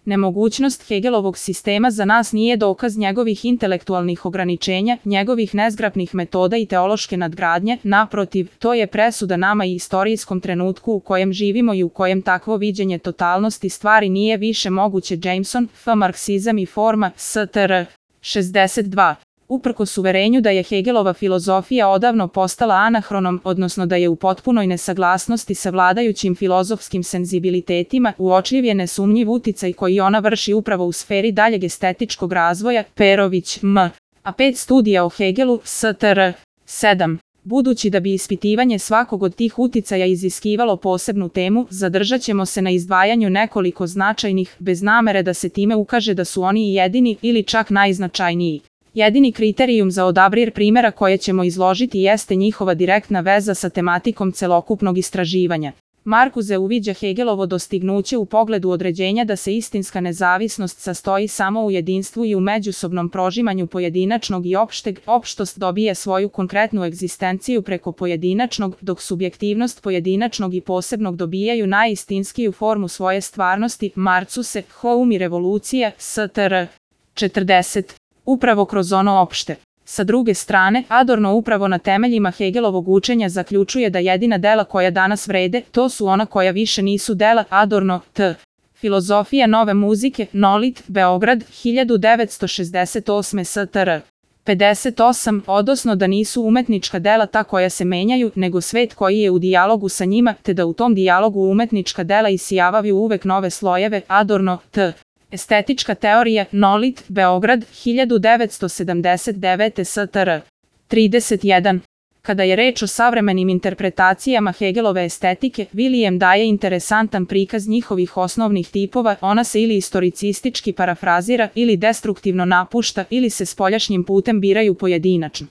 Nemogućnost Hegelovog sistema za nas nije dokaz njegovih intelektualnih ograničenja, njegovih nezgrapnih metoda i teološke nadgradnje, naprotiv, to je presuda nama i istorijskom trenutku u kojem živimo i u kojem takvo viđenje totalnosti stvari nije više moguće. Jameson, F. Marksizam i forma, STR. 62. Uprkos uverenju da je Hegelova filozofija odavno postala anahronom, odnosno da je u potpunoj nesaglasnosti sa vladajućim filozofskim senzibilitetima, uočljiv je nesumnjiv uticaj koji ona vrši upravo u sferi daljeg estetičkog razvoja. Perović, M. A 5 studija o Hegelu, STR. 7. Budući da bi ispitivanje svakog od tih uticaja iziskivalo posebnu temu, zadržat ćemo se na izdvajanju nekoliko značajnih, bez namere da se time ukaže da su oni i jedini ili čak najznačajniji. Jedini kriterijum za odabir primjera koje ćemo izložiti jeste njihova direktna veza sa tematikom celokupnog istraživanja. Marcuse uviđa Hegelovo dostignuće u pogledu određenja da se istinska nezavisnost sastoji samo u jedinstvu i u međusobnom prožimanju pojedinačnog i opšteg. Opštost dobije svoju konkretnu egzistenciju preko pojedinačnog, dok subjektivnost pojedinačnog i posebnog dobijaju najistinskiju formu svoje stvarnosti. Marcuse, Home i revolucija, STR. 40. Upravo kroz ono opšte. Sa druge strane, Adorno upravo na temeljima Hegelovog učenja zaključuje da jedina dela koja danas vrede, to su ona koja više nisu dela. Adorno, T. Filozofija nove muzike, Nolit, Beograd, 1968. STR. 58. Odnosno da nisu umetnička dela ta koja se menjaju, nego svet koji je u dijalogu sa njima, te da u tom dijalogu umetnička dela isijavaju uvek nove slojeve. Adorno, T. Estetička teorija, Nolit, Beograd, 1979. STR. 31. Kada je reč o savremenim interpretacijama Hegelove estetike, William daje interesantan prikaz njihovih osnovnih tipova, ona se ili istoricistički parafrazira, ili destruktivno napušta, ili se spoljašnjim putem biraju pojedinačno.